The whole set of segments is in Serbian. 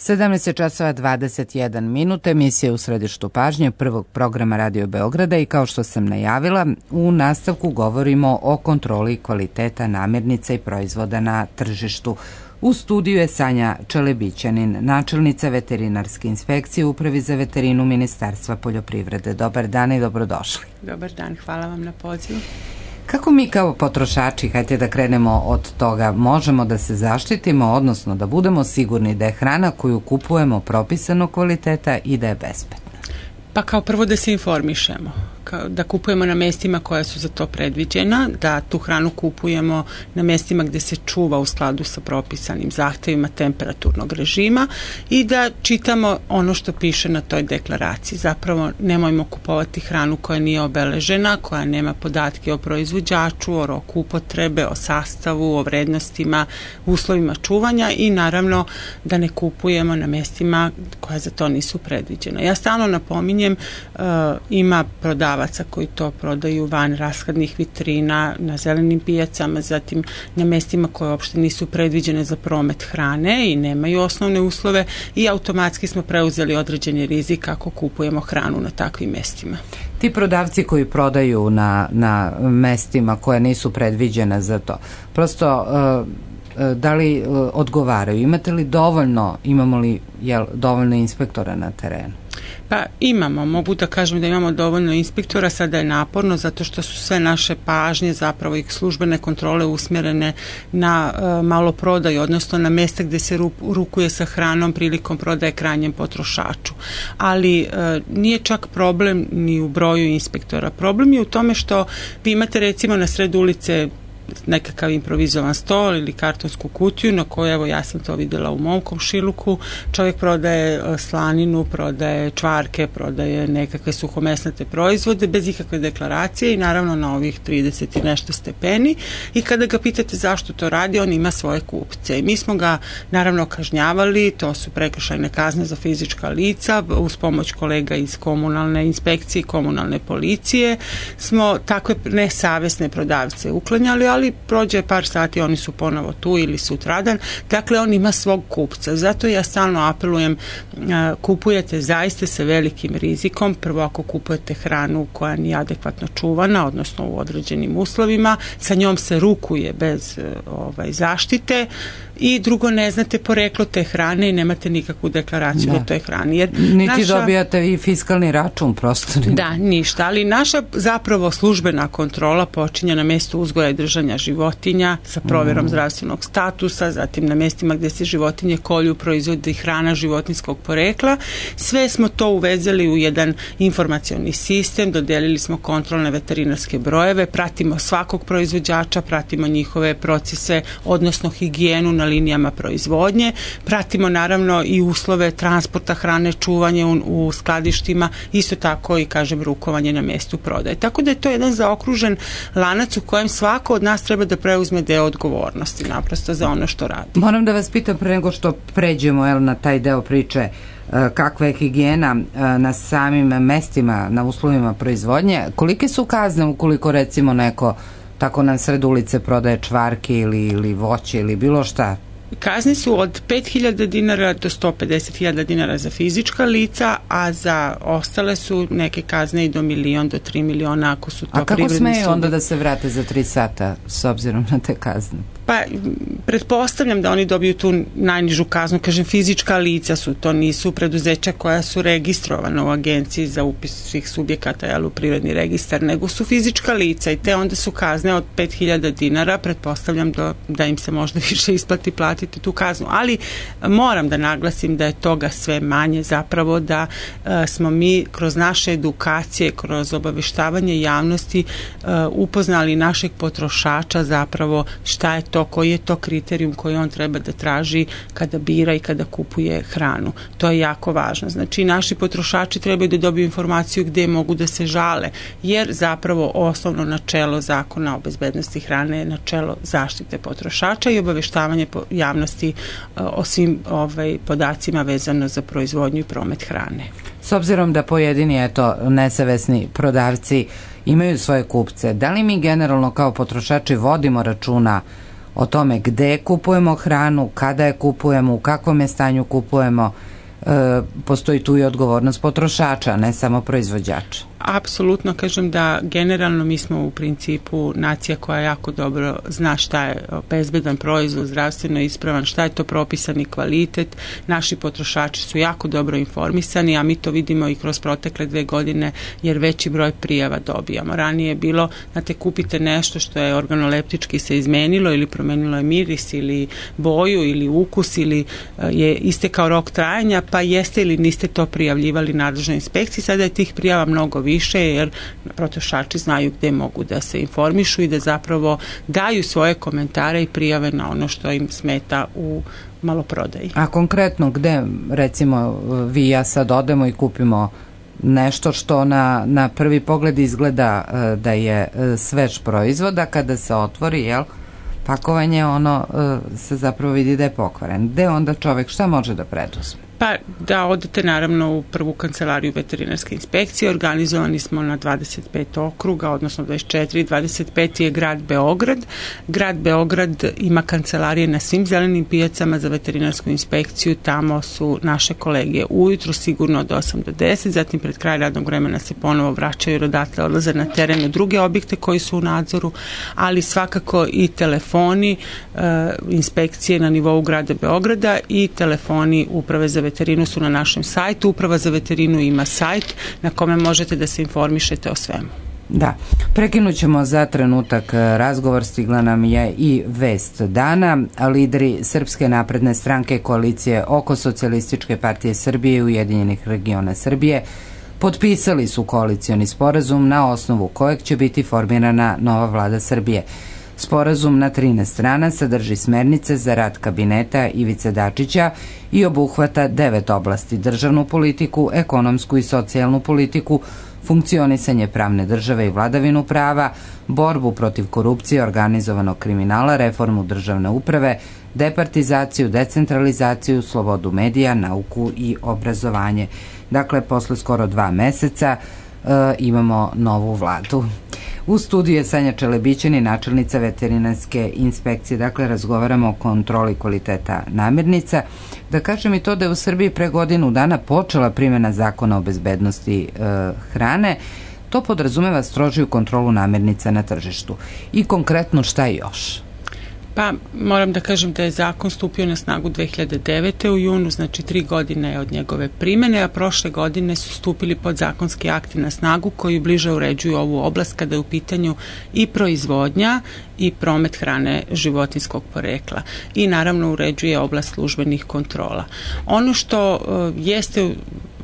17 časova 21 minut, emisija u središtu pažnje prvog programa Radio Beograda i kao što sam najavila, u nastavku govorimo o kontroli kvaliteta namirnica i proizvoda na tržištu. U studiju je Sanja Čelebićanin, načelnica veterinarske inspekcije u Upravi za veterinu Ministarstva poljoprivrede. Dobar dan i dobrodošli. Dobar dan, hvala vam na pozivu. Kako mi kao potrošači, hajde da krenemo od toga, možemo da se zaštitimo, odnosno da budemo sigurni da je hrana koju kupujemo propisanog kvaliteta i da je bezbedna? Pa kao prvo da se informišemo, da kupujemo na mestima koja su za to predviđena, da tu hranu kupujemo na mestima gde se čuva u skladu sa propisanim zahtevima temperaturnog režima i da čitamo ono što piše na toj deklaraciji. Zapravo nemojmo kupovati hranu koja nije obeležena, koja nema podatke o proizvođaču, o roku upotrebe, o sastavu, o vrednostima, uslovima čuvanja i naravno da ne kupujemo na mestima koja za to nisu predviđena. Ja stalno napominjem, ima prodavaca koji to prodaju van rashladnih vitrina, na zelenim pijacama, zatim na mestima koje uopšte nisu predviđene za promet hrane i nemaju osnovne uslove i automatski smo preuzeli određeni rizik ako kupujemo hranu na takvim mestima. Ti prodavci koji prodaju na mestima koje nisu predviđene za to, prosto da li odgovaraju? Imamo li dovoljno inspektora na terenu? Pa imamo, mogu da kažem da imamo dovoljno inspektora, sada je naporno zato što su sve naše pažnje, zapravo i službene kontrole usmjerene na maloprodaju, odnosno na mesta gde se rukuje sa hranom prilikom prodaje krajnjem potrošaču. Ali nije čak problem ni u broju inspektora. Problem je u tome što vi imate recimo na sred ulice nekakav improvizovan stol ili kartonsku kutiju na kojoj, evo ja sam to videla u mom komšiluku, čovjek prodaje slaninu, prodaje čvarke, prodaje nekakve suhomesnate proizvode bez ikakve deklaracije i naravno na ovih 30 i nešto stepeni i kada ga pitate zašto to radi, on ima svoje kupce i mi smo ga naravno kažnjavali, to su prekršajne kazne za fizička lica, uz pomoć kolega iz komunalne inspekcije i komunalne policije smo takve nesavesne prodavce uklanjali, ali prođe par sati, oni su ponovo tu ili sutradan, dakle on ima svog kupca. Zato ja stalno apelujem, kupujete zaista sa velikim rizikom, prvo ako kupujete hranu koja nije adekvatno čuvana, odnosno u određenim uslovima, sa njom se rukuje bez zaštite i drugo ne znate poreklo te hrane i nemate nikakvu deklaraciju o toj hrani. Jer niti dobijate i fiskalni račun prosto. Da, ništa, ali naša zapravo službena kontrola počinje na mjestu uzgoja i držanja životinja sa provjerom zdravstvenog statusa, zatim na mjestima gdje se životinje kolju, proizvodi hrana životinjskog porekla. Sve smo to uvezeli u jedan informacioni sistem, dodelili smo kontrolne veterinarske brojeve, pratimo svakog proizvođača, pratimo njihove procese, odnosno higijenu na linijama proizvodnje, pratimo naravno i uslove transporta hrane, čuvanje u skladištima, isto tako i kažem rukovanje na mjestu prodaje. Tako da je to jedan zaokružen lanac u kojem svako od nas treba da preuzme deo odgovornosti naprosto za ono što radi. Moram da vas pitam pre nego što pređemo na taj deo priče, kakva je higijena na samim mestima, na uslovima proizvodnje, kolike su kazne ukoliko recimo neko tako na sred ulice prodaje čvarke ili voće ili bilo šta? Kazne su od 5.000 dinara do 150.000 dinara za fizička lica, a za ostale su neke kazne i do 1.000.000 do 3 miliona ako su to privredni subjekti. A kako smeju onda da se vrate za 3 sata s obzirom na te kazne? Pa, pretpostavljam da oni dobiju tu najnižu kaznu, kažem fizička lica su, to nisu preduzeća koja su registrovana u agenciji za upis svih subjekata u privredni registar, nego su fizička lica i te onda su kazne od 5.000 dinara, pretpostavljam da im se možda više isplati platiti tu kaznu, ali moram da naglasim da je toga sve manje, zapravo da smo mi kroz naše edukacije, kroz obaveštavanje javnosti upoznali našeg potrošača zapravo šta je to, koji je to kriterijum koji on treba da traži kada bira i kada kupuje hranu. To je jako važno. Znači, naši potrošači trebaju da dobiju informaciju gde mogu da se žale, jer zapravo osnovno načelo Zakona o bezbednosti hrane je načelo zaštite potrošača i obaveštavanje javnosti o svim podacima vezano za proizvodnju i promet hrane. S obzirom da pojedini, nesavesni prodavci imaju svoje kupce, da li mi generalno kao potrošači vodimo računa o tome gde kupujemo hranu, kada je kupujemo, u kakvom je stanju kupujemo, postoji tu i odgovornost potrošača, ne samo proizvođača. Apsolutno, kažem da generalno mi smo u principu nacija koja jako dobro zna šta je bezbedan proizvod, zdravstveno ispravan, šta je to propisani kvalitet. Naši potrošači su jako dobro informisani, a mi to vidimo i kroz protekle 2 godine jer veći broj prijava dobijamo. Ranije je bilo, znate, kupite nešto što je organoleptički se izmenilo ili promenilo je miris ili boju ili ukus ili je istekao rok trajanja, pa jeste ili niste to prijavljivali nadležnoj inspekciji. Sada je tih prijava mnogo više jer potrošači znaju gde mogu da se informišu i da zapravo daju svoje komentare i prijave na ono što im smeta u maloprodaji. A konkretno gde, recimo, vi i ja sad odemo i kupimo nešto što na prvi pogled izgleda da je svež proizvod, a kada se otvori, pakovanje, ono se zapravo vidi da je pokvaren. Gde onda čovek šta može da preduzme? Pa da odete naravno u prvu kancelariju veterinarske inspekcije. Organizovani smo na 25 okruga, odnosno 24, 25 je grad Beograd. Grad Beograd ima kancelarije na svim zelenim pijacama za veterinarsku inspekciju. Tamo su naše kolege ujutru sigurno od 8 do 10, zatim pred kraj radnog vremena se ponovo vraćaju jer odatle odlaze na teren u druge objekte koji su u nadzoru, ali svakako i telefoni inspekcije na nivou grada Beograda i telefoni Uprave za veterinu su na našem sajtu. Uprava za veterinu ima sajt na kome možete da se informišete o svemu. Da, prekinut ćemo za trenutak razgovor, stigla nam je i vest dana. Lideri Srpske napredne stranke, koalicije oko Socijalističke partije Srbije i Ujedinjenih regiona Srbije potpisali su koalicioni sporazum na osnovu kojeg će biti formirana nova vlada Srbije. Sporazum na 13 strana sadrži smernice za rad kabineta Ivice Dačića i obuhvata 9 oblasti: državnu politiku, ekonomsku i socijalnu politiku, funkcionisanje pravne države i vladavinu prava, borbu protiv korupcije, organizovanog kriminala, reformu državne uprave, departizaciju, decentralizaciju, slobodu medija, nauku i obrazovanje. Dakle, posle skoro 2 meseca imamo novu vladu. U studiju je Sanja Čelebićani, načelnica veterinarske inspekcije. Dakle, razgovaramo o kontroli kvaliteta namirnica. Da kažem i to da je u Srbiji pre godinu dana počela primjena zakona o bezbednosti hrane. To podrazumeva strožiju kontrolu namirnica na tržištu. I konkretno šta još? Pa moram da kažem da je zakon stupio na snagu 2009. u junu, znači 3 godine je od njegove primene, a prošle godine su stupili podzakonski akti na snagu koji bliže uređuju ovu oblast kada je u pitanju i proizvodnja i promet hrane životinjskog porekla i naravno uređuje oblast službenih kontrola. Ono što jeste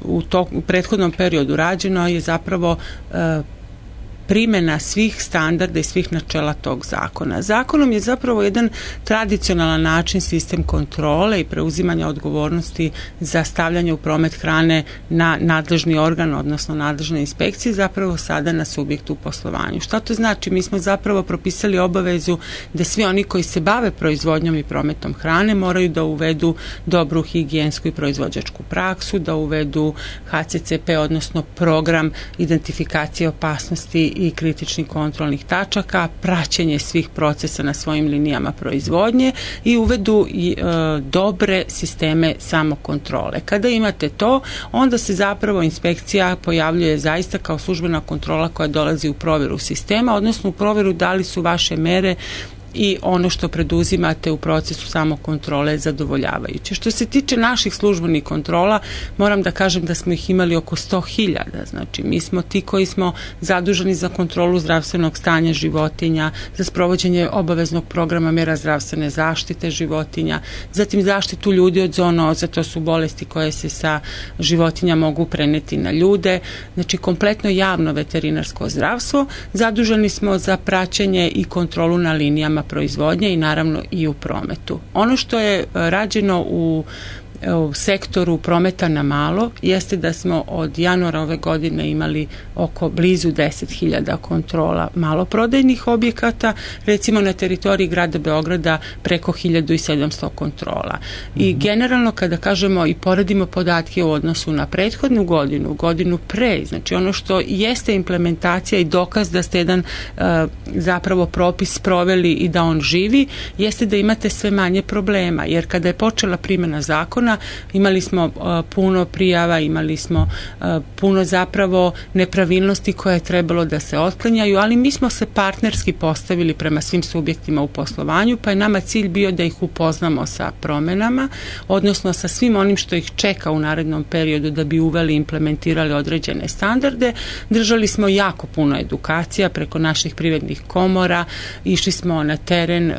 u prethodnom periodu rađeno je zapravo primjena svih standarda i svih načela tog zakona. Zakonom je zapravo jedan tradicionalan način sistem kontrole i preuzimanja odgovornosti za stavljanje u promet hrane na nadležni organ, odnosno nadležne inspekcije, zapravo sada na subjektu u poslovanju. Šta to znači? Mi smo zapravo propisali obavezu da svi oni koji se bave proizvodnjom i prometom hrane moraju da uvedu dobru higijensku i proizvođačku praksu, da uvedu HCCP, odnosno program identifikacije opasnosti i kritičnih kontrolnih tačaka, praćenje svih procesa na svojim linijama proizvodnje i uvedu dobre sisteme samokontrole. Kada imate to, onda se zapravo inspekcija pojavljuje zaista kao službena kontrola koja dolazi u provjeru sistema, odnosno u provjeru da li su vaše mere i ono što preduzimate u procesu samokontrole zadovoljavajuće. Što se tiče naših službenih kontrola, moram da kažem da smo ih imali oko 100.000. Znači, mi smo ti koji smo zaduženi za kontrolu zdravstvenog stanja životinja, za sprovođenje obaveznog programa mjera zdravstvene zaštite životinja, zatim zaštitu ljudi od zoonoza, to su bolesti koje se sa životinja mogu preneti na ljude. Znači, kompletno javno veterinarsko zdravstvo. Zaduženi smo za praćenje i kontrolu na linijama proizvodnje i naravno i u prometu. Ono što je rađeno u u sektoru prometa na malo jeste da smo od januara ove godine imali oko blizu 10.000 kontrola maloprodajnih objekata, recimo na teritoriji grada Beograda preko 1.700 kontrola. I generalno kada kažemo i poredimo podatke u odnosu na prethodnu godinu pre, znači ono što jeste implementacija i dokaz da ste jedan zapravo propis proveli i da on živi, jeste da imate sve manje problema, jer kada je počela primjena zakona imali smo puno prijava, imali smo puno zapravo nepravilnosti koje je trebalo da se otklanjaju, ali mi smo se partnerski postavili prema svim subjektima u poslovanju, pa je nama cilj bio da ih upoznamo sa promenama, odnosno sa svim onim što ih čeka u narednom periodu da bi uveli i implementirali određene standarde. Držali smo jako puno edukacija preko naših privrednih komora, išli smo na teren,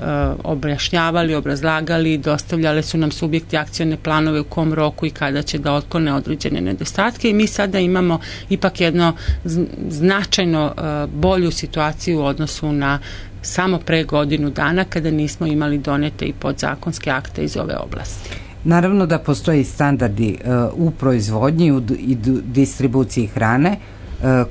objašnjavali, obrazlagali, dostavljali su nam subjekti akcione planove u kom roku i kada će da otklone određene nedostatke i mi sada imamo ipak jedno značajno bolju situaciju u odnosu na samo pre godinu dana kada nismo imali donete i podzakonske akte iz ove oblasti. Naravno da postoji standardi u proizvodnji i distribuciji hrane.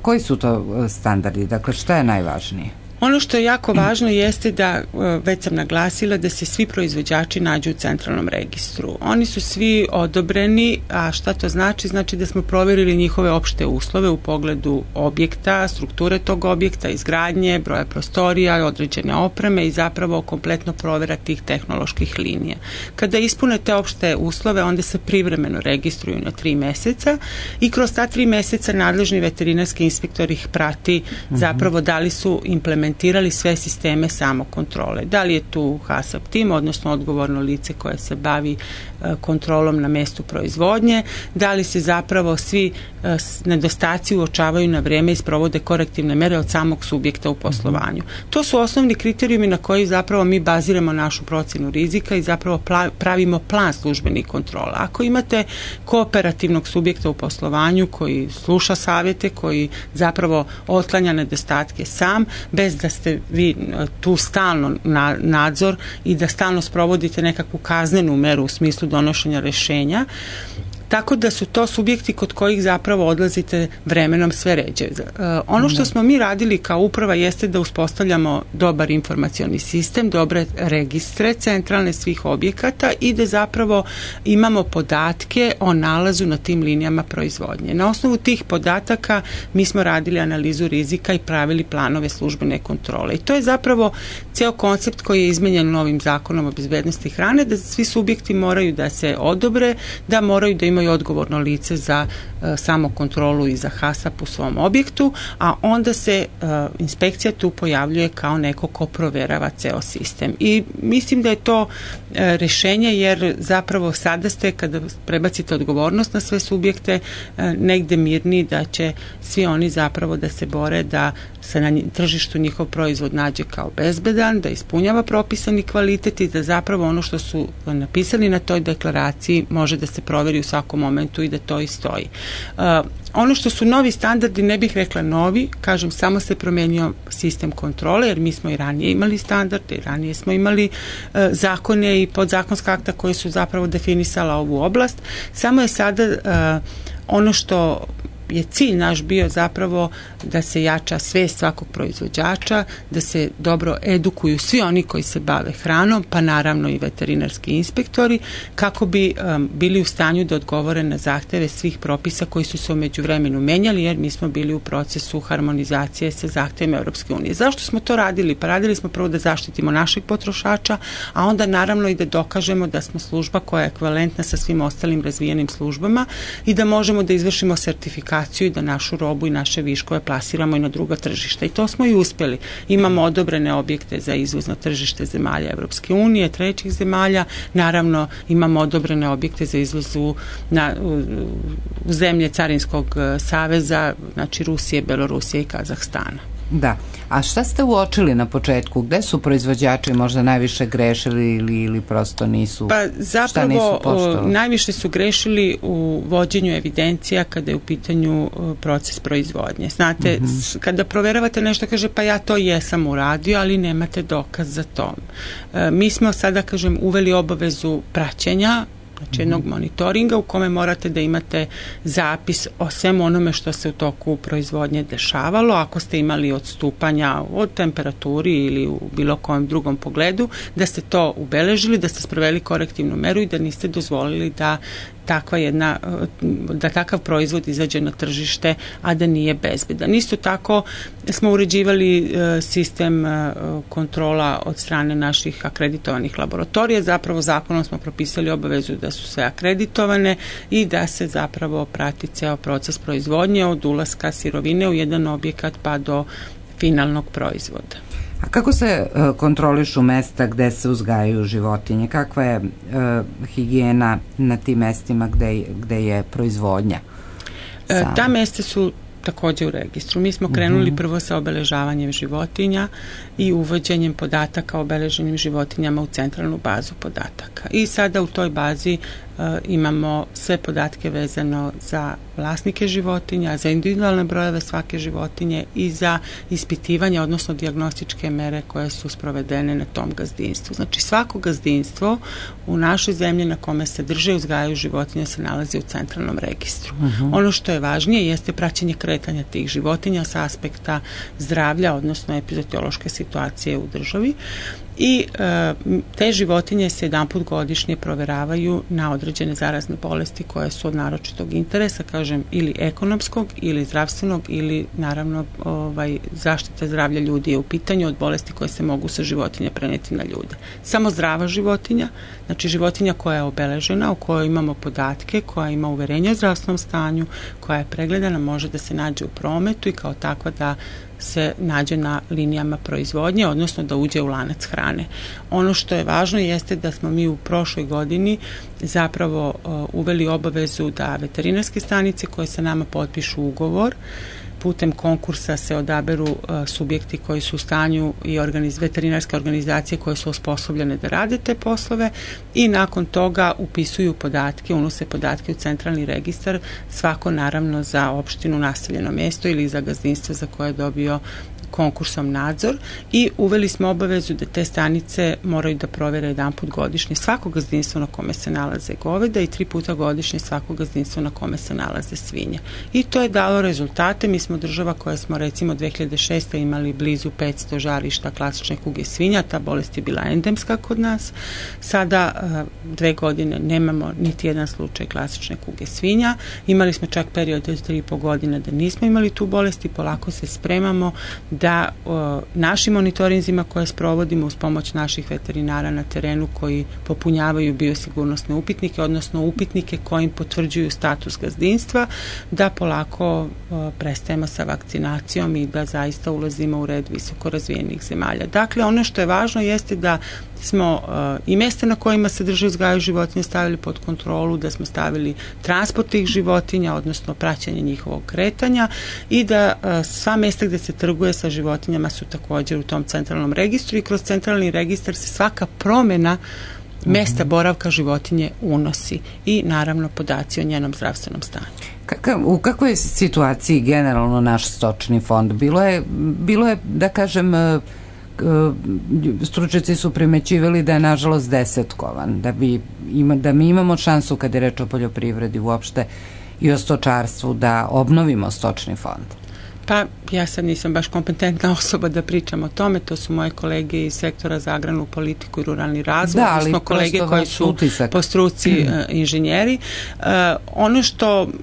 Koji su to standardi? Dakle, šta je najvažnije? Ono što je jako važno jeste da, već sam naglasila, da se svi proizvođači nađu u centralnom registru. Oni su svi odobreni, a šta to znači? Znači da smo provjerili njihove opšte uslove u pogledu objekta, strukture tog objekta, izgradnje, broja prostorija, određene opreme i zapravo kompletno provjera tih tehnoloških linija. Kada ispune te opšte uslove, onda se privremeno registruju na 3 meseca i kroz ta 3 meseca nadležni veterinarski inspektor ih prati zapravo da li su implementirali sve sisteme samokontrole. Da li je tu HACCP tim, odnosno odgovorno lice koje se bavi kontrolom na mestu proizvodnje, da li se zapravo svi nedostaci uočavaju na vrijeme i sprovode korektivne mere od samog subjekta u poslovanju. To su osnovni kriterijumi na koji zapravo mi baziramo našu procjenu rizika i zapravo pravimo plan službenih kontrola. Ako imate kooperativnog subjekta u poslovanju koji sluša savjete, koji zapravo otklanja nedostatke sam, bez da ste vi tu stalno nadzor i da stalno sprovodite nekakvu kaznenu meru u smislu donošenja rješenja, tako da su to subjekti kod kojih zapravo odlazite vremenom sve ređe. Ono što smo mi radili kao uprava jeste da uspostavljamo dobar informacioni sistem, dobre registre centralne svih objekata i da zapravo imamo podatke o nalazu na tim linijama proizvodnje. Na osnovu tih podataka mi smo radili analizu rizika i pravili planove službene kontrole. I to je zapravo ceo koncept koji je izmenjen novim zakonom o bezbednosti hrane, da svi subjekti moraju da se odobre, da moraju da imaju odgovorno lice za samokontrolu i za HACCP u svom objektu, a onda se inspekcija tu pojavljuje kao neko ko proverava ceo sistem. I mislim da je to rješenje, jer zapravo sada ste, kada prebacite odgovornost na sve subjekte, negde mirni da će svi oni zapravo da se bore da se na tržištu njihov proizvod nađe kao bezbedan, da ispunjava propisani kvalitet i da zapravo ono što su napisali na toj deklaraciji može da se proveri u svakom momentu i da to i stoji. Ono što su novi standardi, ne bih rekla novi, kažem, samo se promenio sistem kontrole, jer mi smo i ranije imali standarde, i ranije smo imali zakone i podzakonska akta koji su zapravo definisala ovu oblast, samo je sada ono što je cilj naš bio zapravo da se jača svest svakog proizvođača, da se dobro edukuju svi oni koji se bave hranom, pa naravno i veterinarski inspektori, kako bi bili u stanju da odgovore na zahteve svih propisa koji su se u međuvremenu menjali, jer mi smo bili u procesu harmonizacije sa zahtevima Europske unije. Zašto smo to radili? Pa radili smo prvo da zaštitimo našeg potrošača, a onda naravno i da dokažemo da smo služba koja je ekvivalentna sa svim ostalim razvijenim službama i da možemo da izvršimo sertifikaciju i da našu robu i naše viškove plasiramo i na druga tržišta. I to smo i uspjeli. Imamo odobrene objekte za izvoz na tržište zemalja Evropske unije, trećih zemalja. Naravno, imamo odobrene objekte za izvoz u zemlje Carinskog saveza, znači Rusije, Belorusije i Kazahstana. Da. A šta ste uočili na početku? Gde su proizvođači možda najviše grešili ili prosto nisu? Pa zapravo najviše su grešili u vođenju evidencija kada je u pitanju proces proizvodnje. Znate, kada proveravate nešto, kaže pa ja to jesam uradio, ali nemate dokaz za to. Mi smo sada, kažem, uveli obavezu praćenja, znači jednog monitoringa u kome morate da imate zapis o svemu onome što se u toku proizvodnje dešavalo, ako ste imali odstupanja od temperaturi ili u bilo kojem drugom pogledu, da ste to ubeležili, da ste sproveli korektivnu meru i da niste dozvolili da takav proizvod izađe na tržište, a da nije bezbedan. Isto tako smo uređivali sistem kontrola od strane naših akreditovanih laboratorija. Zapravo zakonom smo propisali obavezu da su sve akreditovane i da se zapravo prati ceo proces proizvodnje od ulaska sirovine u jedan objekat pa do finalnog proizvoda. A kako se kontrolišu mesta gde se uzgajaju životinje? Kakva je higijena na tim mestima gde je proizvodnja? Ta mesta su takođe u registru. Mi smo krenuli prvo sa obeležavanjem životinja i uvođenjem podataka o obeleženim životinjama u centralnu bazu podataka. I sada u toj bazi imamo sve podatke vezano za vlasnike životinja, za individualne brojeve svake životinje i za ispitivanje, odnosno dijagnostičke mere koje su sprovedene na tom gazdinstvu. Znači svako gazdinstvo u našoj zemlji na kome se drže i uzgajaju životinje se nalazi u centralnom registru. Ono što je važnije jeste praćenje kretanja tih životinja sa aspekta zdravlja, odnosno epizodiološke situacije u državi. I te životinje se jedanput godišnje proveravaju na određene zarazne bolesti koje su od naročitog interesa, kažem, ili ekonomskog ili zdravstvenog ili naravno zaštita zdravlja ljudi je u pitanju od bolesti koje se mogu sa životinja preneti na ljude. Samo zdrava životinja, znači životinja koja je obeležena, u kojoj imamo podatke, koja ima uverenje o zdravstvenom stanju, koja je pregledana, može da se nađe u prometu i kao takva da se nađe na linijama proizvodnje, odnosno da uđe u lanac hrane. Ono što je važno jeste da smo mi u prošloj godini zapravo uveli obavezu da veterinarske stanice koje sa nama potpišu ugovor, putem konkursa se odaberu subjekti koji su u stanju i veterinarske organizacije koje su osposobljene da rade te poslove i nakon toga upisuju podatke, unose podatke u centralni registar, svako naravno za opštinu, naseljeno mjesto ili za gazdinstvo za koje je dobio konkursom nadzor i uveli smo obavezu da te stanice moraju da provere jedanput godišnje svako gazdinstvo na kome se nalaze goveda i 3 puta godišnje svako gazdinstvo na kome se nalaze svinje. I to je dalo rezultate. Mi smo država koja smo recimo 2006. imali blizu 500 žarišta klasične kuge svinja, ta bolest je bila endemska kod nas. Sada 2 godine nemamo niti jedan slučaj klasične kuge svinja. Imali smo čak period od 3,5 godine da nismo imali tu bolest i polako se spremamo da našim monitorinzima koje sprovodimo uz pomoć naših veterinara na terenu koji popunjavaju biosigurnosne upitnike, odnosno upitnike kojim potvrđuju status gazdinstva, da polako prestajemo sa vakcinacijom i da zaista ulazimo u red visoko razvijenih zemalja. Dakle, ono što je važno jeste da smo i mjesta na kojima se drže uzgajaju životinje stavili pod kontrolu, da smo stavili transport tih životinja, odnosno praćenje njihovog kretanja i da sva mjesta gdje se trguje sa životinjama su također u tom centralnom registru i kroz centralni registar se svaka promjena mjesta boravka životinje unosi i naravno podaci o njenom zdravstvenom stanju. U kakvoj je situaciji generalno naš stočni fond? Bilo je da kažem, stručnjaci su primećivali da je nažalost desetkovan, da mi imamo šansu kad je reč o poljoprivredi uopšte i o stočarstvu da obnovimo stočni fond. Pa ja sad nisam baš kompetentna osoba da pričam o tome, to su moje kolege iz sektora za agrarnu politiku i ruralni razvoj, odnosno kolege koji su po struci inženjeri. Ono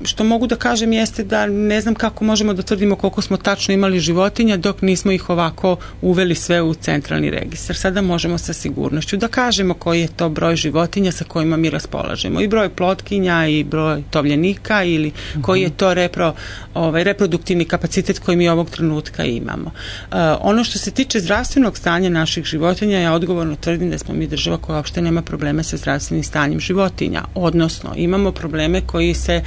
što mogu da kažem jeste da ne znam kako možemo da tvrdimo koliko smo tačno imali životinja dok nismo ih ovako uveli sve u centralni registar. Sada možemo sa sigurnošću da kažemo koji je to broj životinja sa kojima mi raspolažemo. I broj plotkinja i broj tovljenika ili koji je to reproduktivni kapacitet koji mi ovog trenutka imamo. Ono što se tiče zdravstvenog stanja naših životinja, ja odgovorno tvrdim da smo mi država koja uopšte nema probleme sa zdravstvenim stanjem životinja. Odnosno, imamo probleme koji se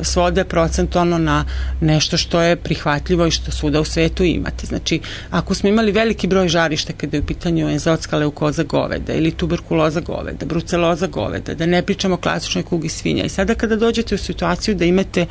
svode procentualno na nešto što je prihvatljivo i što svuda u svetu imate. Znači, ako smo imali veliki broj žarišta kada je u pitanju enzotska leukoza goveda ili tuberkuloza goveda, bruceloza goveda, da ne pričamo o klasičnoj kugi svinja i sada kada dođete u situaciju da imate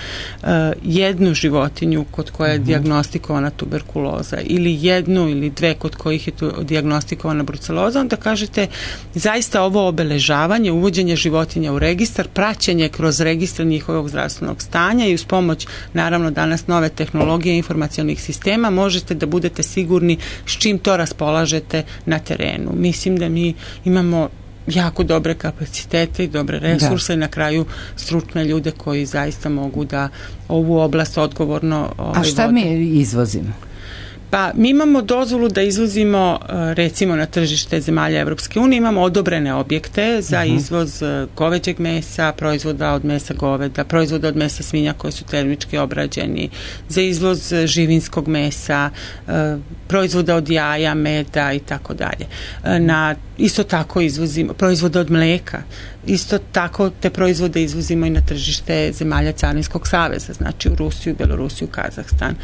jednu životinju kod koje koja je dijagnostikovana tuberkuloza ili jednu ili dve kod kojih je dijagnostikovana bruceloza, onda kažete zaista ovo obeležavanje, uvođenje životinja u registar, praćenje kroz registar njihovog zdravstvenog stanja i uz pomoć naravno danas nove tehnologije informacionih sistema možete da budete sigurni s čim to raspolažete na terenu. Mislim da mi imamo jako dobre kapacitete i dobre resurse i na kraju stručne ljude koji zaista mogu da ovu oblast odgovorno A šta vode. mi izvozimo? Pa mi imamo dozvolu da izvozimo recimo na tržište zemalja Evropske unije, imamo odobrene objekte za izvoz goveđeg mesa, proizvoda od mesa goveda, proizvoda od mesa svinja koji su termički obrađeni, za izvoz živinskog mesa, proizvoda od jaja, meda i tako dalje. Isto tako izvozimo proizvode od mleka, isto tako te proizvode izvozimo i na tržište zemalja Carinskog saveza, znači u Rusiju, Belorusiju, Kazahstan.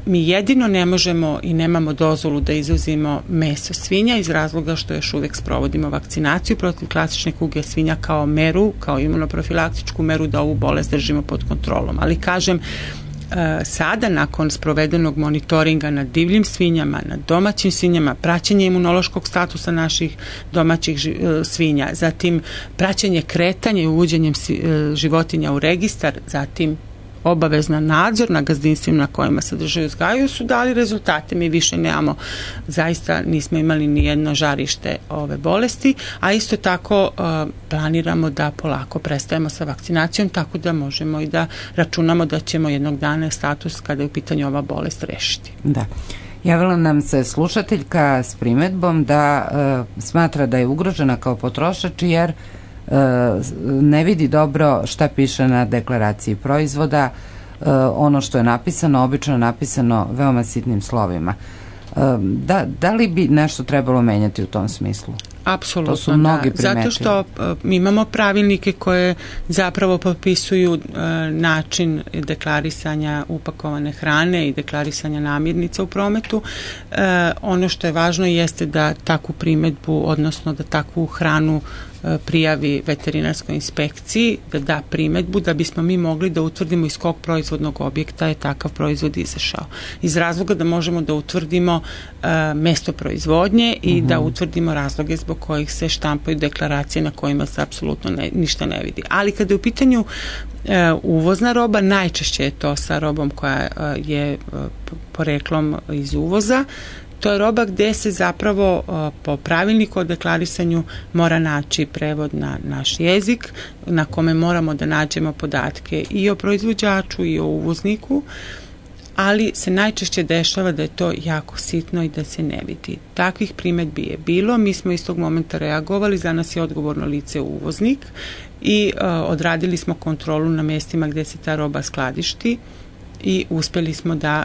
Mi jedino ne možemo i nemamo dozvolu da izvozimo meso svinja iz razloga što još uvek sprovodimo vakcinaciju protiv klasične kuge svinja kao meru, kao imunoprofilaktičku meru da ovu bolest držimo pod kontrolom. Ali kažem, sada nakon sprovedenog monitoringa na divljim svinjama, na domaćim svinjama, praćenje imunološkog statusa naših domaćih svinja, zatim praćenje kretanja i uvođenjem životinja u registar, zatim obavezna nadzor na gazdinstvima na kojima se drže i uzgajaju su dali rezultate. Mi više nemamo, zaista nismo imali ni jedno žarište ove bolesti, a isto tako planiramo da polako prestajemo sa vakcinacijom, tako da možemo i da računamo da ćemo jednog dana status kada je u pitanju ova bolest rešiti. Da. Javila nam se slušateljka s primedbom da smatra da je ugrožena kao potrošač jer ne vidi dobro šta piše na deklaraciji proizvoda, ono što je napisano, obično je napisano veoma sitnim slovima. Da li bi nešto trebalo menjati u tom smislu? Apsolutno, to su mnogi primetili. Zato što mi imamo pravilnike koje zapravo popisuju način deklarisanja upakovane hrane i deklarisanja namirnica u prometu. Ono što je važno jeste da takvu primetbu, odnosno da takvu hranu prijavi veterinarskoj inspekciji, da da primetbu da bismo mi mogli da utvrdimo iz kog proizvodnog objekta je takav proizvod izašao. Iz razloga da možemo da utvrdimo mesto proizvodnje i da utvrdimo razloge zbog kojih se štampaju deklaracije na kojima se apsolutno ništa ne vidi. Ali kada je u pitanju uvozna roba, najčešće je to sa robom koja je poreklom iz uvoza. To je roba gde se zapravo po pravilniku o deklarisanju mora naći prevod na naš jezik, na kome moramo da nađemo podatke i o proizvođaču i o uvozniku, ali se najčešće dešava da je to jako sitno i da se ne vidi. Takvih primetbi je bilo, mi smo iz tog momenta reagovali, za nas je odgovorno lice uvoznik i odradili smo kontrolu na mjestima gde se ta roba skladišti i uspjeli smo da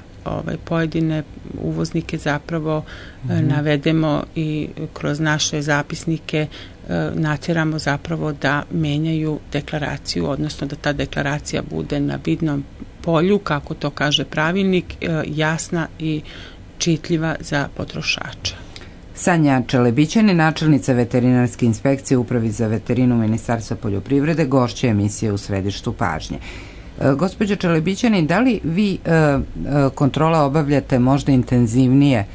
pojedine uvoznike zapravo navedemo i kroz naše zapisnike natjeramo zapravo da menjaju deklaraciju, odnosno da ta deklaracija bude na vidnom polju, kako to kaže pravilnik, jasna i čitljiva za potrošača. Sanja Čelebićani, načelnica veterinarske inspekcije Upravi za veterinu Ministarstva poljoprivrede, gošća emisije U središtu pažnje. Gospođo Čelebićani, da li vi kontrole obavljate možda intenzivnije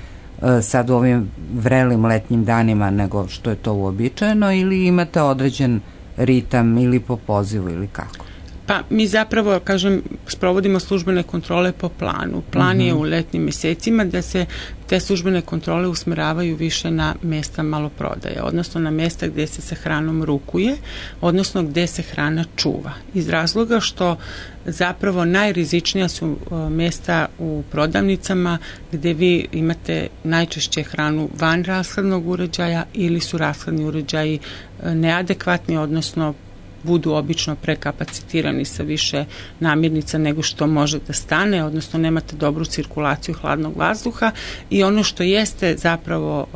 sad u ovim vrelim letnjim danima nego što je to uobičajeno ili imate određen ritam ili po pozivu ili kako? Pa mi zapravo, kažem, sprovodimo službene kontrole po planu. Plan je u letnjim mjesecima da se te službene kontrole usmeravaju više na mjesta maloprodaje, odnosno na mjesta gdje se sa hranom rukuje, odnosno gdje se hrana čuva. Iz razloga što zapravo najrizičnija su mjesta u prodavnicama gdje vi imate najčešće hranu van rashladnog uređaja ili su rashladni uređaji neadekvatni, odnosno budu obično prekapacitirani sa više namirnica nego što može da stane, odnosno nemate dobru cirkulaciju hladnog vazduha i ono što jeste zapravo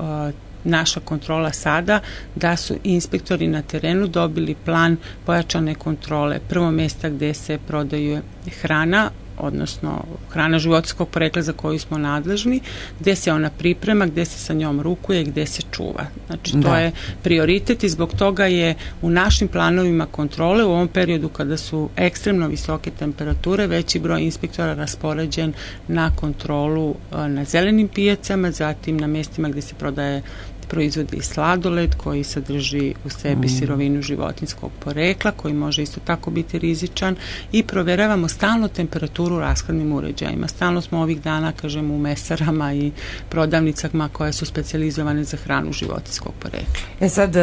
naša kontrola sada, da su inspektori na terenu dobili plan pojačane kontrole. Prvo mjesta gdje se prodaju hrana, odnosno hrana životinjskog porekla za koju smo nadležni, gde se ona priprema, gde se sa njom rukuje i gde se čuva. Znači to je prioritet i zbog toga je u našim planovima kontrole u ovom periodu kada su ekstremno visoke temperature veći broj inspektora raspoređen na kontrolu na zelenim pijacama, zatim na mestima gde se prodaje proizvodi i sladoled koji sadrži u sebi sirovinu životinjskog porekla koji može isto tako biti rizičan i proveravamo stalno temperaturu u rashladnim uređajima. Stalno smo ovih dana, kažem, u mesarama i prodavnicama koje su specijalizovane za hranu životinjskog porekla. Sad,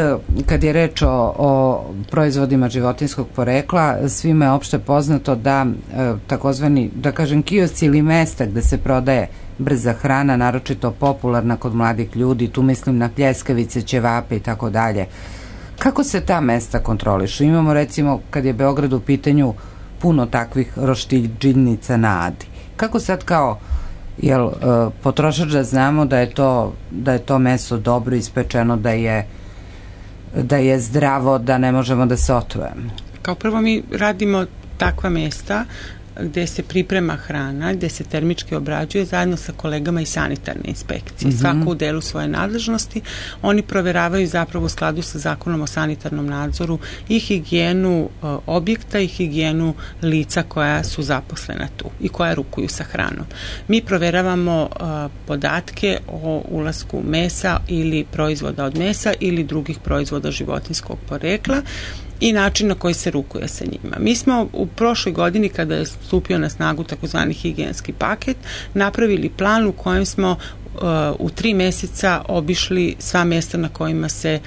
kad je reč o proizvodima životinjskog porekla, svima je opšte poznato da takozvani, da kažem, kiosci ili mesta gde se prodaje brza hrana, naročito popularna kod mladih ljudi, tu mislim na pljeskavice, ćevape i tako dalje. Kako se ta mesta kontrolišu? Imamo recimo, kad je Beograd u pitanju, puno takvih roštiljnica na Adi. Kako sad kao potrošač da znamo da je to meso dobro ispečeno, da je zdravo, da ne možemo da se otrujemo? Kao prvo mi radimo takva mesta gde se priprema hrana, gde se termički obrađuje zajedno sa kolegama iz sanitarne inspekcije. Svako u delu svoje nadležnosti. Oni proveravaju zapravo u skladu sa zakonom o sanitarnom nadzoru i higijenu objekta i higijenu lica koja su zaposlena tu i koja rukuju sa hranom. Mi proveravamo podatke o ulasku mesa ili proizvoda od mesa ili drugih proizvoda životinjskog porekla i način na koji se rukuje sa njima. Mi smo u prošloj godini, kada je stupio na snagu takozvani higijenski paket, napravili plan u kojem smo u 3 meseca obišli sva mesta na kojima se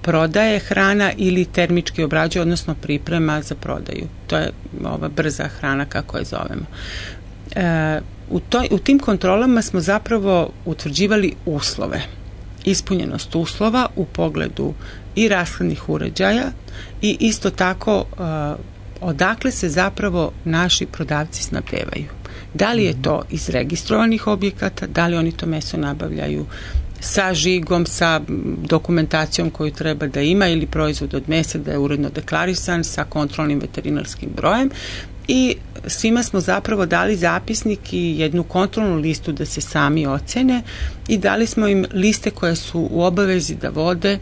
prodaje hrana ili termički obrađuje, odnosno priprema za prodaju. To je ova brza hrana, kako je zovemo. U tim kontrolama smo zapravo utvrđivali uslove. Ispunjenost uslova u pogledu i rashladnih uređaja i isto tako odakle se zapravo naši prodavci snabdevaju. Da li je to iz registrovanih objekata, da li oni to meso nabavljaju sa žigom, sa dokumentacijom koju treba da ima ili proizvod od mesa da je uredno deklarisan sa kontrolnim veterinarskim brojem i svima smo zapravo dali zapisnik i jednu kontrolnu listu da se sami ocene i dali smo im liste koje su u obavezi da vode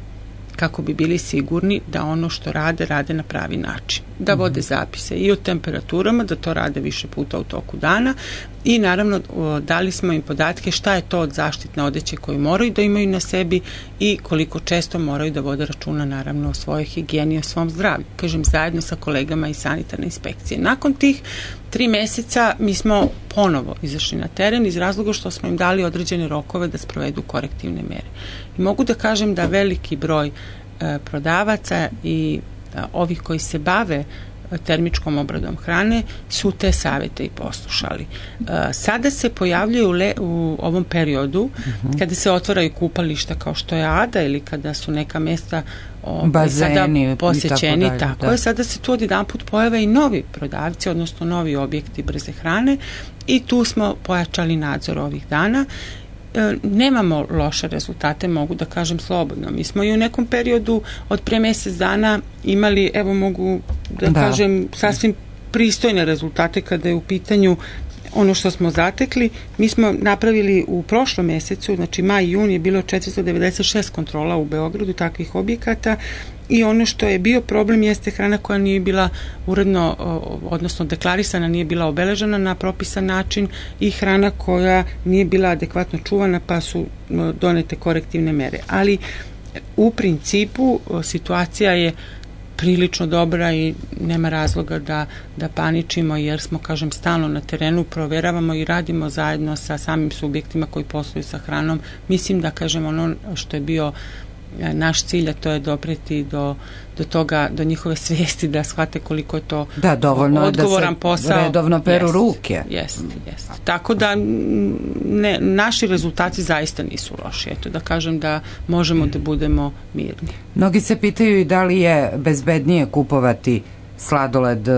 kako bi bili sigurni da ono što rade na pravi način. Da vode zapise i o temperaturama, da to rade više puta u toku dana i naravno dali smo im podatke šta je to od zaštitne odeće koju moraju da imaju na sebi i koliko često moraju da vode računa naravno o svojoj higijeni i o svom zdravlju. Kažem, zajedno sa kolegama iz sanitarne inspekcije. Nakon tih 3 meseca mi smo ponovo izašli na teren iz razloga što smo im dali određene rokove da sprovedu korektivne mere. I mogu da kažem da veliki broj prodavaca i ovih koji se bave termičkom obradom hrane su te savete i poslušali. Sada se pojavljaju u ovom periodu kada se otvaraju kupališta kao što je Ada ili kada su neka mesta bazeni, posećeni, tako je. Sada se tu odjedanput pojave i novi prodavci, odnosno novi objekti brze hrane i tu smo pojačali nadzor ovih dana. Nemamo loše rezultate, mogu da kažem slobodno. Mi smo i u nekom periodu od pre mesec dana imali, evo mogu da kažem, sasvim pristojne rezultate kada je u pitanju ono što smo zatekli. Mi smo napravili u prošlom mesecu, znači maj i jun je bilo 496 kontrola u Beogradu takvih objekata i ono što je bio problem jeste hrana koja nije bila uredno, odnosno deklarisana, nije bila obeležena na propisan način i hrana koja nije bila adekvatno čuvana pa su donete korektivne mere. Ali u principu situacija je prilično dobra i nema razloga da paničimo jer smo, kažem, stalno na terenu, proveravamo i radimo zajedno sa samim subjektima koji posluju sa hranom. Mislim da, kažem, ono što je bio naš cilj, a to je dopreti do toga, do njihove svijesti da shvate koliko je to odgovoran posao. Da, redovno peru ruke. Jeste. Tako da naši rezultati zaista nisu loši. Eto, da kažem da možemo da budemo mirni. Mnogi se pitaju i da li je bezbednije kupovati sladoled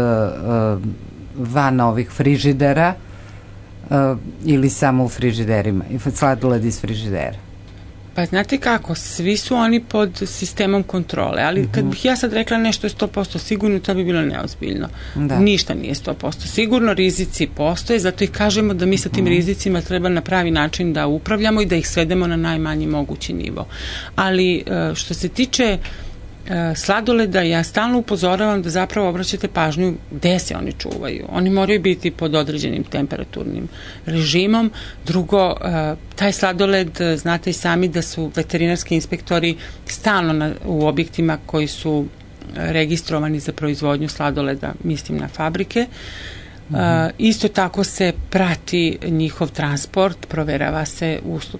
van ovih frižidera ili samo u frižiderima, sladoled iz frižidera. Pa znate kako, svi su oni pod sistemom kontrole, ali kad bih ja sad rekla nešto je 100% sigurno, to bi bilo neozbiljno. Ništa nije 100% sigurno, rizici postoje, zato i kažemo da mi sa tim rizicima treba na pravi način da upravljamo i da ih svedemo na najmanji mogući nivo. Ali što se tiče sladoleda, ja stalno upozoravam da zapravo obraćate pažnju gde se oni čuvaju. Oni moraju biti pod određenim temperaturnim režimom. Drugo, taj sladoled, znate i sami da su veterinarski inspektori stalno u objektima koji su registrovani za proizvodnju sladoleda, mislim na fabrike. Isto tako se prati njihov transport,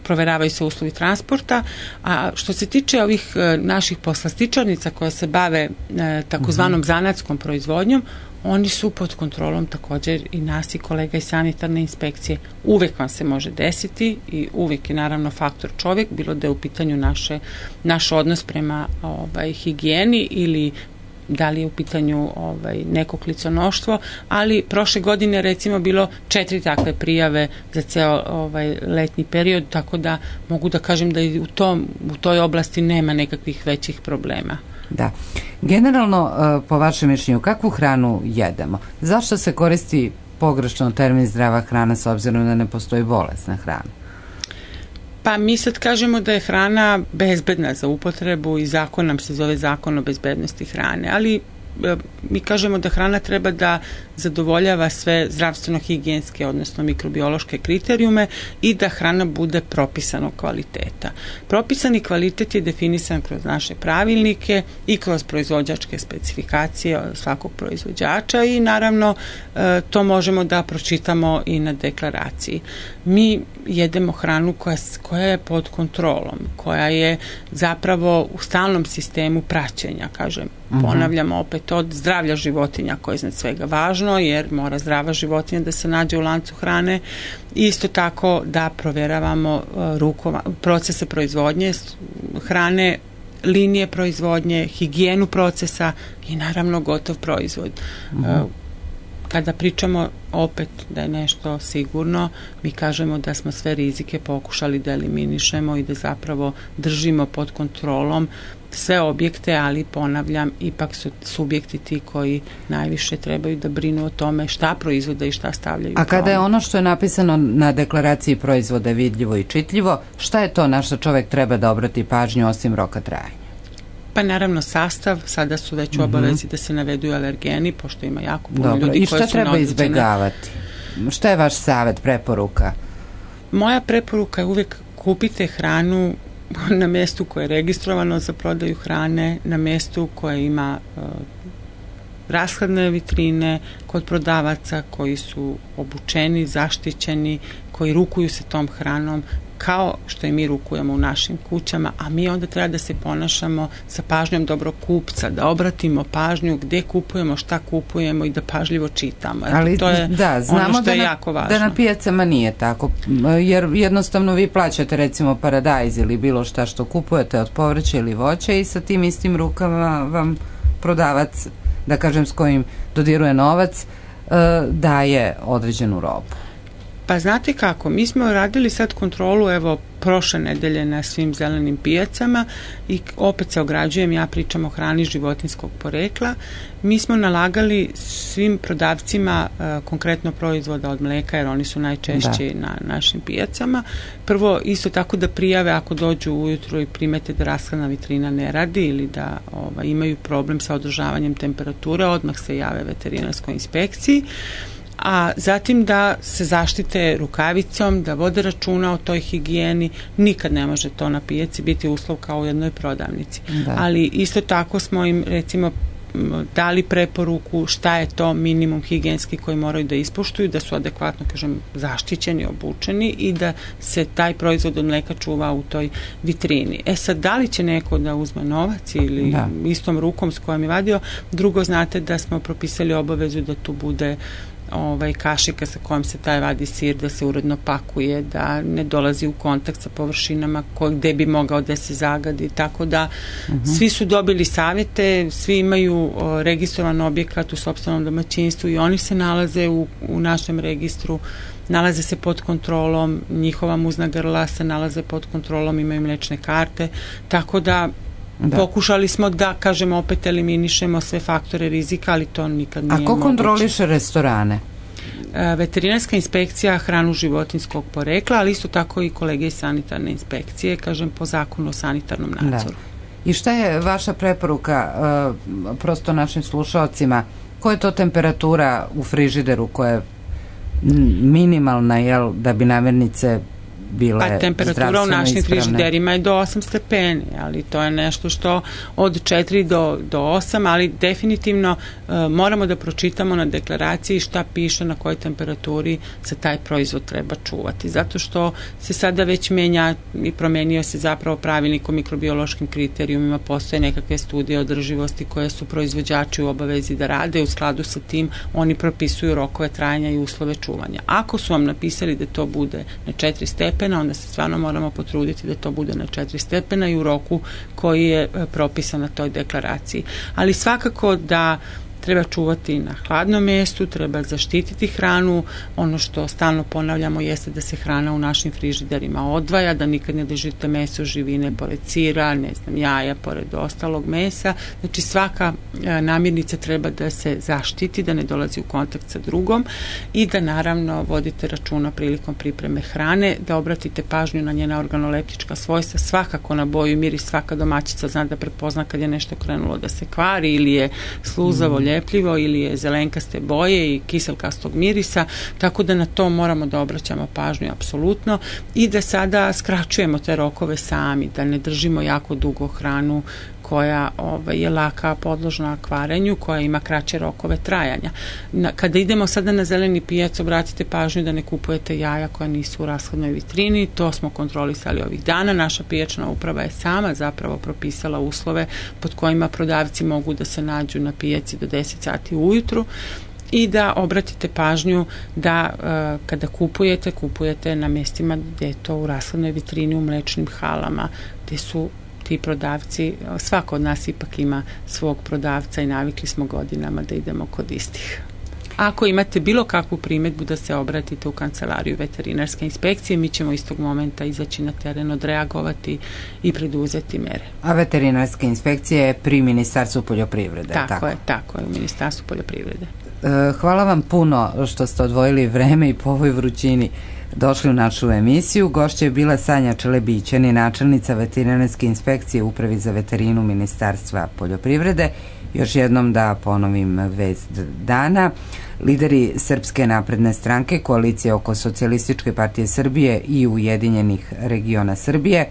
proveravaju se uslovi transporta, a što se tiče ovih naših poslastičarnica koje se bave takozvanom zanatskom proizvodnjom, oni su pod kontrolom također i nas i kolega iz sanitarne inspekcije. Uvek vam se može desiti i uvek je naravno faktor čovjek, bilo da je u pitanju naš odnos prema higijeni ili da li je u pitanju neko kliconoštvo, ali prošle godine recimo bilo 4 takve prijave za ceo letnji period, tako da mogu da kažem da i u toj oblasti nema nekakvih većih problema. Da. Generalno, po vašem mišljenju, kakvu hranu jedemo? Zašto se koristi pogrešno termin zdrava hrana s obzirom da ne postoji bolesna hrana? Pa mi sad kažemo da je hrana bezbedna za upotrebu i zakon nam se zove Zakon o bezbednosti hrane, ali mi kažemo da hrana treba da zadovoljava sve zdravstveno-higijenske, odnosno mikrobiološke kriterijume i da hrana bude propisanog kvaliteta. Propisani kvalitet je definisan kroz naše pravilnike i kroz proizvođačke specifikacije svakog proizvođača i naravno to možemo da pročitamo i na deklaraciji. Mi jedemo hranu koja je pod kontrolom, koja je zapravo u stalnom sistemu praćenja, kažem. Ponavljamo opet od zdravlja životinja koje je iznad svega važno, jer mora zdrava životinja da se nađe u lancu hrane. Isto tako da proveravamo procese proizvodnje hrane, linije proizvodnje, higijenu procesa i naravno gotov proizvod. Kada pričamo opet da je nešto sigurno, mi kažemo da smo sve rizike pokušali da eliminišemo i da zapravo držimo pod kontrolom sve objekte, ali ponavljam, ipak su subjekti ti koji najviše trebaju da brinu o tome šta proizvode i šta stavljaju. A kada je ono što je napisano na deklaraciji proizvoda vidljivo i čitljivo, šta je to na što čovjek treba da obrati pažnju osim roka trajanja? Pa naravno sastav, sada su već u obavezi da se navedu alergeni, pošto ima jako puno ljudi koji su i šta treba izbegavati? Šta je vaš savjet, preporuka? Moja preporuka je uvijek kupite hranu na mjestu koje je registrovano za prodaju hrane, na mjestu koje ima rashladne vitrine, kod prodavaca koji su obučeni, zaštićeni, koji rukuju se tom hranom kao što i mi rukujemo u našim kućama, a mi onda treba da se ponašamo sa pažnjom dobrog kupca, da obratimo pažnju gdje kupujemo, šta kupujemo i da pažljivo čitamo. Ali to je ono što je jako važno. Da na pijacama nije tako, jer jednostavno vi plaćate recimo paradajz ili bilo šta što kupujete od povrća ili voća i sa tim istim rukama vam prodavac, da kažem s kojim dodiruje novac, daje određenu robu. Pa znate kako, mi smo radili sad kontrolu, evo, prošle nedelje na svim zelenim pijacama i opet se ograđujem, ja pričam o hrani životinjskog porekla. Mi smo nalagali svim prodavcima konkretno proizvoda od mleka, jer oni su najčešći na našim pijacama. Prvo, isto tako da prijave ako dođu ujutru i primete da rashladna vitrina ne radi ili da imaju problem sa održavanjem temperature, odmah se jave veterinarskoj inspekciji. A zatim da se zaštite rukavicom, da vode računa o toj higijeni, nikad ne može to na pijaci biti uslov kao u jednoj prodavnici. Ali isto tako smo im recimo dali preporuku šta je to minimum higijenski koji moraju da ispoštuju, da su adekvatno, kažem, zaštićeni, obučeni i da se taj proizvod od mleka čuva u toj vitrini. Sad, da li će neko da uzme novac ili istom rukom s kojom je vadio? Drugo, znate da smo propisali obavezu da tu bude kašika sa kojom se taj vadi sir, da se uredno pakuje, da ne dolazi u kontakt sa površinama gde bi mogao da se zagadi, tako da svi su dobili savjete, svi imaju registrovan objekat u sopstvenom domaćinstvu i oni se nalaze u našem registru, nalaze se pod kontrolom, njihova muzna grla se nalaze pod kontrolom, imaju mlečne karte, tako da pokušali smo da, kažemo, opet eliminišemo sve faktore rizika, ali to nikad nije moguće. A ko kontroliše restorane? Veterinarska inspekcija hranu životinjskog porekla, ali isto tako i kolege iz sanitarne inspekcije, kažem, po zakonu o sanitarnom nadzoru. I šta je vaša preporuka prosto našim slušalcima? Koja je to temperatura u frižideru koja je minimalna, jel, da bi namirnice bile zdravstveno ispravne? Temperatura u našim frižiderima je do 8 stepeni, ali to je nešto što od 4 do 8, ali definitivno moramo da pročitamo na deklaraciji šta piše na kojoj temperaturi se taj proizvod treba čuvati, zato što se sada već menja i promenio se zapravo pravilnik o mikrobiološkim kriterijumima, postoje nekakve studije održivosti koje su proizvođači u obavezi da rade, u skladu sa tim oni propisuju rokove trajanja i uslove čuvanja. Ako su vam napisali da to bude na 4 stepena, onda se stvarno moramo potruditi da to bude na 4 stepena i u roku koji je propisan na toj deklaraciji. Ali svakako da treba čuvati na hladnom mjestu, treba zaštititi hranu. Ono što stalno ponavljamo jeste da se hrana u našim frižiderima odvaja, da nikad ne držite meso, živine pored sira, jaja pored ostalog mesa. Znači svaka namirnica treba da se zaštiti, da ne dolazi u kontakt sa drugom i da naravno vodite računa prilikom pripreme hrane, da obratite pažnju na njena organoleptička svojstva, svakako na boju i miris. Svaka domaćica zna da prepozna kad je nešto krenulo da se kvari ili je sluzavo, ljepljivo ili je zelenkaste boje i kiselkastog mirisa, tako da na to moramo da obraćamo pažnju apsolutno i da sada skraćujemo te rokove sami, da ne držimo jako dugo hranu koja je laka podložna kvarenju, koja ima kraće rokove trajanja. Kada idemo sada na zeleni pijac, obratite pažnju da ne kupujete jaja koja nisu u rashladnoj vitrini, to smo kontrolisali ovih dana. Naša pijačna uprava je sama zapravo propisala uslove pod kojima prodavci mogu da se nađu na pijaci do 10 sati ujutru i da obratite pažnju da kada kupujete na mjestima gdje je to u rashladnoj vitrini, u mlečnim halama, gdje su ti prodavci, svako od nas ipak ima svog prodavca i navikli smo godinama da idemo kod istih. Ako imate bilo kakvu primjedbu, da se obratite u kancelariju veterinarske inspekcije, mi ćemo istog momenta izaći na teren, odreagovati i preduzeti mere. A veterinarska inspekcija je pri Ministarstvu poljoprivrede? Tako je, u Ministarstvu poljoprivrede. Hvala vam puno što ste odvojili vreme i po ovoj vrućini došli u našu emisiju. Gošća je bila Sanja Čelebićani, načelnica veterinarske inspekcije u Upravi za veterinu Ministarstva poljoprivrede. Još jednom da ponovim vest dana. Lideri Srpske napredne stranke, koalicije oko Socijalističke partije Srbije i Ujedinjenih regiona Srbije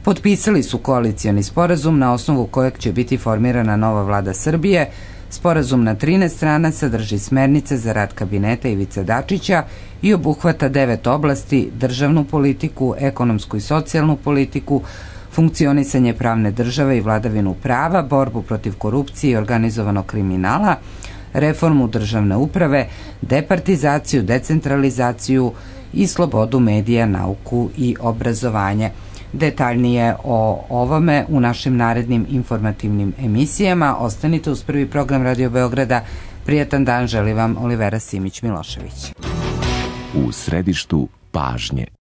potpisali su koalicioni sporazum na osnovu kojeg će biti formirana nova vlada Srbije. Sporazum na 13 strana sadrži smernice za rad kabineta Ivice Dačića i obuhvata 9 oblasti: državnu politiku, ekonomsku i socijalnu politiku, funkcionisanje pravne države i vladavinu prava, borbu protiv korupcije i organizovanog kriminala, reformu državne uprave, departizaciju, decentralizaciju i slobodu medija, nauku i obrazovanje. Detaljnije o ovome u našim narednim informativnim emisijama. Ostanite uz prvi program Radio Beograda. Prijatan dan želi vam Olivera Simić-Milošević. U središtu pažnje.